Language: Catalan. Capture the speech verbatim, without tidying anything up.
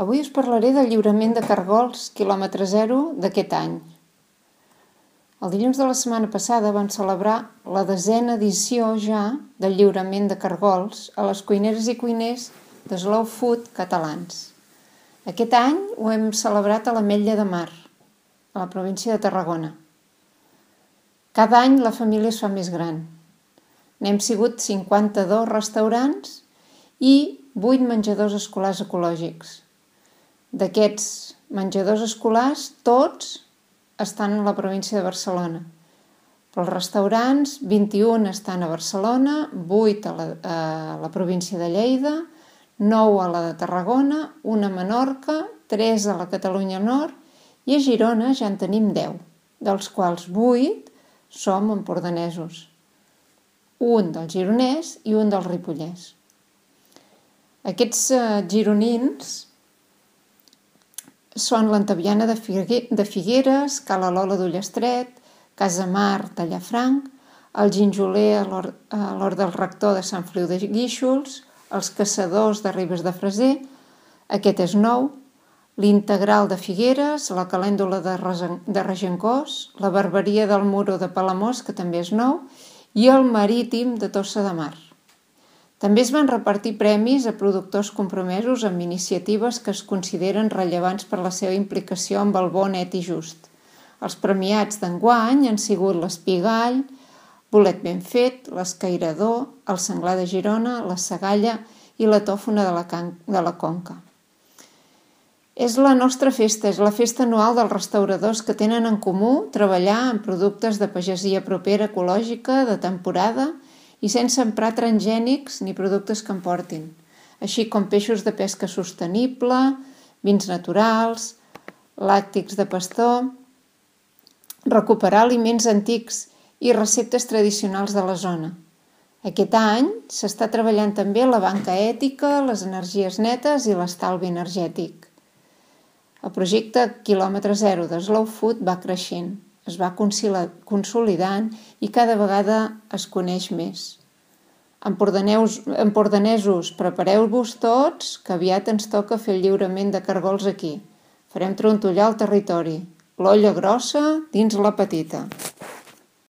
Avui us parlaré del lliurament de cargols quilòmetre zero d'aquest any. El dilluns de la setmana passada vam celebrar la desena edició ja del lliurament de cargols a les cuineres i cuiners de Slow Food catalans. Aquest any ho hem celebrat a l'Ametlla de Mar, a la província de Tarragona. Cada any la família es fa més gran. N'hem sigut cinquanta-dos restaurants i vuit menjadors escolars ecològics. D'aquests menjadors escolars, tots estan a la província de Barcelona. Però els restaurants, vint-i-un estan a Barcelona, vuit a la, a la província de Lleida, nou a la de Tarragona, un a Menorca, tres a la Catalunya Nord i a Girona ja en tenim deu, dels quals vuit som empordanesos. Un del gironès i un del ripollès. Aquests eh, gironins són l'Antaviana de Figueres, Cala Lola d'Ullestret, Casa Mar de Llafranc, el Ginjoler a l'Hort del Rector de Sant Feliu de Guíxols, els Caçadors de Ribes de Freser, aquest és nou, l'Integral de Figueres, la Calèndula de Regencós, la Barberia del Muro de Palamós, que també és nou, i el Marítim de Tossa de Mar. També es van repartir premis a productors compromesos amb iniciatives que es consideren rellevants per la seva implicació amb el bon net i just. Els premiats d'enguany han sigut l'Espigall, Bolet ben fet, l'Escairador, el Senglar de Girona, la Sagalla i la Tòfona de la, Can... de la Conca. És la nostra festa, és la festa anual dels restauradors que tenen en comú treballar en productes de pagesia propera ecològica, de temporada i sense emprar transgènics ni productes que emportin, així com peixos de pesca sostenible, vins naturals, làctics de pastor, recuperar aliments antics i receptes tradicionals de la zona. Aquest any s'està treballant també la banca ètica, les energies netes i l'estalvi energètic. El projecte quilòmetre zero de Slow Food va creixent, es va consolidant i cada vegada es coneix més. Empordanesos, prepareu-vos tots, que aviat ens toca fer el lliurament de cargols aquí. Farem trontollar el territori, l'olla grossa dins la petita.